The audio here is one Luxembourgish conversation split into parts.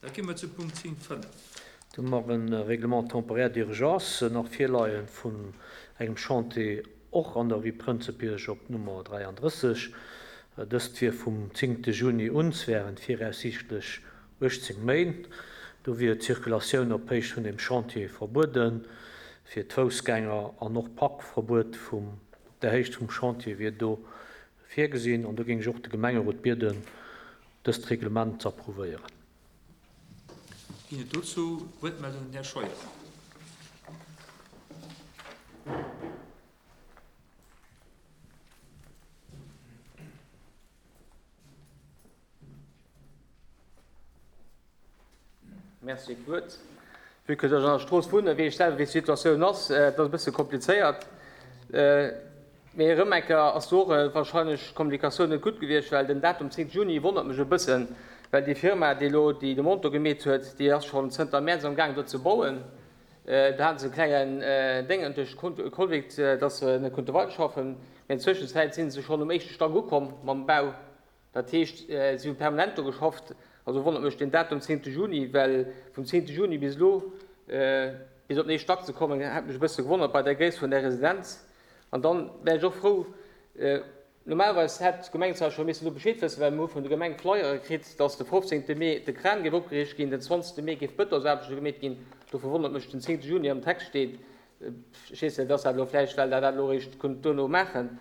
Da gi mer zu Punkt 10, 5. Do hu mer e Règlement temporaire d'urgence nach virleie vun engem Chantier och an der Rue Prënzebierg op Nummer 33. Dëst wier vum zéngte Juni un, während viraussiichtlech 18 Méint. Do wier d'Circulatioun op Héicht vun dem Chantier verbueden fir d'Foussgänger an och Parkverbuet vum op der Héicht vum Chantier wier do virgesinn. An do géing ech och de Gemengerot bieden, dëst Reglement ze approuvéieren. Ginn et dozou Wuertmeldungen? Här Scheuer. Merci fir d'Wuert. Vue que ech an der Strooss wunnen, weess ech selwer, wéi d'Situatioun ass. Et ass e bësse komplizéiert. Mee erëm eng Kéier ass do och warscheinlech d'Kommunikatioun net gutt gewiescht, well den Datum 10 Juni wonnert mech e bëssen, well déi Firma, déi elo déi Demande do gemeet huet, déi ass schonn zënter Mäerz am gaang do ze bauen. Do hate se e klengen Déngen duerch Covid, datt se net konnte weiderschaffen. Mee an Zwëschenzäit si se schonn um éischte Stack ukomm mam Bau. Dat heescht, si hu permanent do geschafft. Also wonnert mech deen Datum 10 Juni, well vum 10 Juni bis elo, bis op den éischte Stack ze kommen, hätt mech e bësse gewonnert bei där Gréisst vun där Residenz. An dann wär ech och frou, normalerweis hätt d'Gemeng zwar scho missen do Bescheed wëssen, well mir hu vun der Gemeng Flyere kritt, dass de 15 Mee de Kran géif opgeriicht ginn, den 20 Mee géif d'Bëtonsaarbechte gemeet ginn. Dofir wonnert mech, den 10 Juni am Text steet. Ech weess net, ass dat elo vläicht, well Der dat elo eréischt kunnt duerno maachen.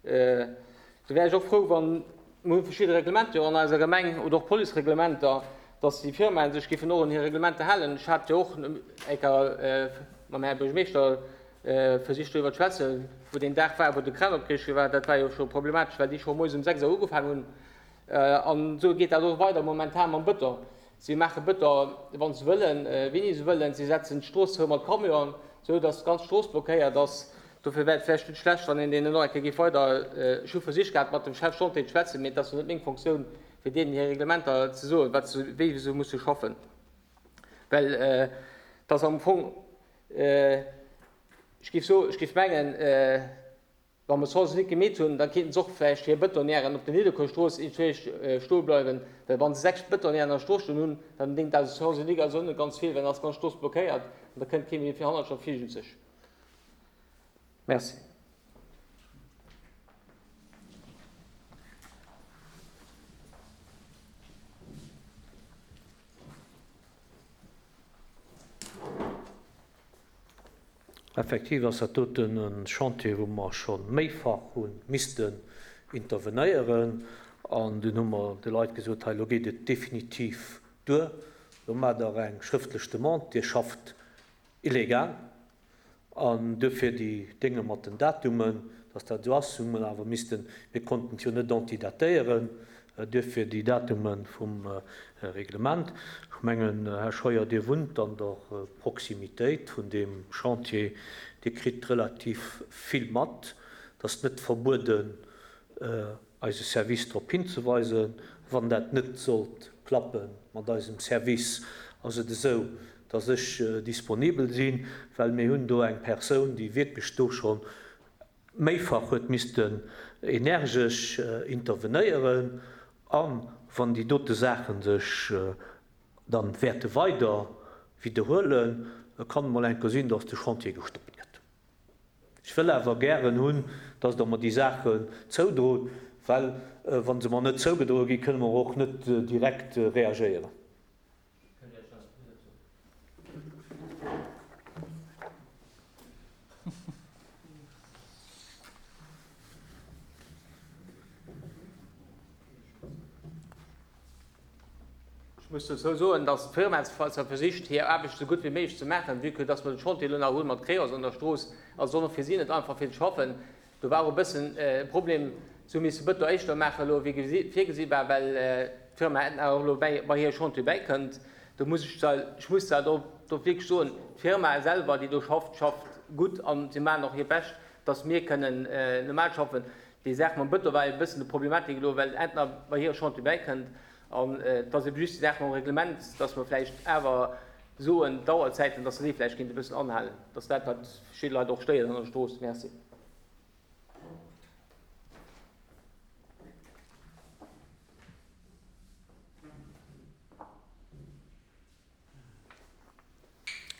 Do wär ech och frou, wann, mir hu verschidde Reglementer jo an eiser Gemeng oder och Policereglementer, dass déi Firmaen sech géifen och un hir Reglementer halen. Ech hat jo och eng Kéier mam Här Buergermeeschter versicht doriwwer ze schwätzen, wou deen Dag war, wou de Kran opgeriicht gi war. Dat war jo scho problematesch, well déi scho moies um 6 Auer ugefaangen hunn. An esou geet dat och weider momentan mam Bëton. Si maache Bëton, wa se wëllen, wéini se wëllen. Si setzen d'Strooss zou mat Camionen, esou dass d'ganz Strooss blockéiert ass. Dofir wär et vläicht net schlecht, wann een deenen och eng Kéier géif weider. Ech hu versicht gehat, mat dem Chef Chantier ze schwätzen, mee et ass jo net meng Fonctioun, fir deenen hir Reglementer ze soen, wat se, wéi se musse schaffen. Well et ass am Fong, ech géif soen, ech géif mengen, wa mer d'Chance net gemeet hunn, da kéinten se och vläicht hir Bëtonnièren op der Nidderkuerstrooss iergendwéi stoe bleiwen. Well wa se 6 Bëtonnièren an der Strooss stoen hunn, dann déngt dat Chance unique also och net ganz vill, well dann ass d'ganz Strooss blockéiert an da kënnt kee méi fir hannertsch an virgenzeg. Merci. Effektiv ass dat doten e Chantier, wou mer scho méifach hu missten intervenéieren. An dunn hu mer de Leit gesot, hei elo geet et definitiv duer, elo maacht Der eng schrëftlech Demande, Dir schafft illegal. An duerfir déi Dénge mat den Datumen, dass dat esou ass, hu mer awer missten, mir konnten et jo net antidatéieren, duerfir déi Datume vum Reglement. Ech mengen, Här Scheuer, Dir wunnt an der Proximitéit vun deem Chantier, Dir kritt relativ vill mat. Et ass net verbueden, eise Service drop hinzeweisen. Wann dat net sollt klappe mat eisem Service, ass et esou, dass ech disponibel sinn, well mir hunn do eng Persoun, déi wierklech do scho méifach huet missten energesch intervenéieren. A wann déi dote Saache sech dann wäerte weider widderhuelen, kann et mol eng Kéier sinn, dass de Chantier gestoppt gëtt. Ech wëll awer gären hunn, dass Der mer déi Saachen zoudrot, well wa se mer net zougedroe ginn, kënne mer och net direkt reagéieren. Ech muss dozou soen, dass d'Firma zwar versicht, hir Aarbecht esou gutt wéi méiglech ze maachen, vue que dass mer de Chantier elo nach hunn mat Creos an der Strooss, ass et och nach fir si net einfach fir ze schaffen. Do war och e bëssen e Problem, si hu misse Bëton éischter maachen elo wéi virgesi war, well d'Firma Etna och elo bei hire Chantier bäikënnt. Do muss ech zwar, ech muss zwar do wierklech soen, d'Firma selwer, déi do schafft, schafft gutt a si maachen och hiert Bescht, dass mir kënnen normal schaffen. Déi Saach mam Bëton war e bëssen de Problematik elo, well Etna bei hire Chantier bäikënnt. An et ass ebe just déi Saach mam Reglement, dass mer vläicht awer soen, d'Auerzäiten, dass se déi vläicht kéinte e bëssen anhalen. Dat ass dat, wat verschidde Leit och stéiert an der Strooss. Merci.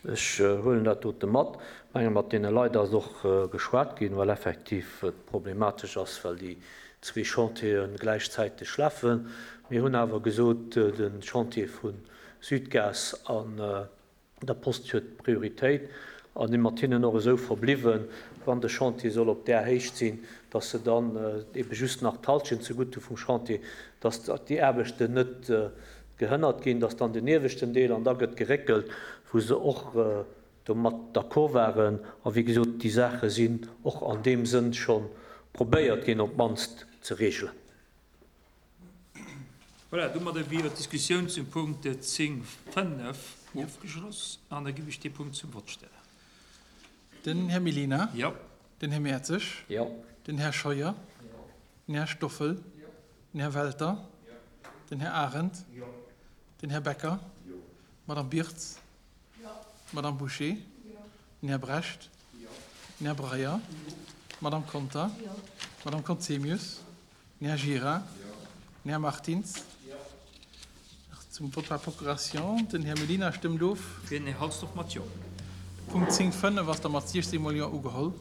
Ech huelen dat dote mat. Ech menge mat deene Leit ass och geschwat ginn, well effektiv et problematesch ass, well déi zwee Chantiere gläichzäiteg lafen. Mir hunn awer gesot, de Chantier vu Südgas an der Post huet Prioritéit a si mat hinnen och esou verbliwwen, wann de Chantier soll op där Héicht sinn, dass se dann ebe just nach d'Halschent zegutt hu vum Chantier, dass déi Aarbechten net gehënnert ginn, dass dann den ieweschten Deel an da gëtt geréckelt, wou se och domat d'accord waren. A wéi gesot, déi Saache sinn och an deem Sënn scho probéiert ginn op d'mannst ze regelen. Voilà, domadder wier d'Diskussioun zum Punkt 10, 5 ofgeschloss an da géif ech dee Punkt zum Vott stellen. Den Här Mellina. Jo. Den Här Mertzig. Jo. Den Här Scheuer. Den Här Stoffel. Den Här Welter. Den Här Arendt. Den Här Becker. D'Madame Birtz. D'Madame Bouché. Den Här Brecht. Den Här Breyer. D'Madame Conter. D'Madame Conzemius. Den Här Gira. Den Här Martins. Nach zum Vote par procuration. Den Här Mellina stëmmt of. Den Här Halsdorf mat Jo. Punkt 10, 5 ass da mat 16 mol Jo ugeholl.